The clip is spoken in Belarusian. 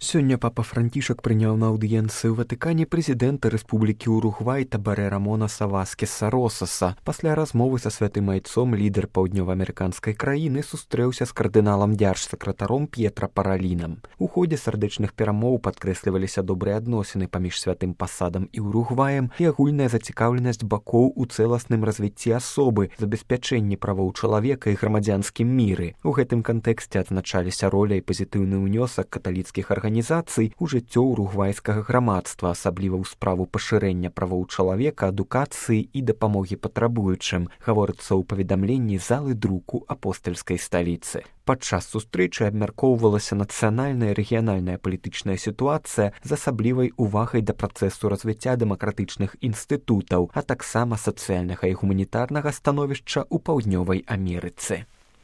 Сёння папа Францішак прыняў на аўдыенцыі ў Ватыкане прэзідэнта Рэспублікі Уругвай Табарэ Рамонаса Васкеса Росаса. Пасля размовы са святым айцом лідар паўднёваамерыканскай краіны сустрэўся з кардыналам дзяржсакратаром П'етра Паралінам. У ходзе сардэчных перамоў падкрэсліваліся добрыя адносіны паміж святым пасадам і Уругваем і агульная зацікаўленасць бакоў у цэласным развіцці асобы, забеспячэнні правоў чалавека і грамадзянскім міры. У гэтым кантэксце адзначаліся роля і пазітыўны ўнёсак каталіцкіх арганізацый у жыццё уругвайскага грамадства, асабліва ў справу пашырэння правоў чалавека, адукацыі і дапамогі патрабуючым, гаворыцца ў паведамленні залы друку апостальскай сталіцы. Падчас сустрэчы абмяркоўвалася нацыянальная і рэгіянальная палітычная сітуацыя з асаблівай увагай да працэсу развіцця дэмакратычных інстытутаў, а таксама сацыяльнага і гуманітарнага становішча ў Паўднёвай Амерыцы.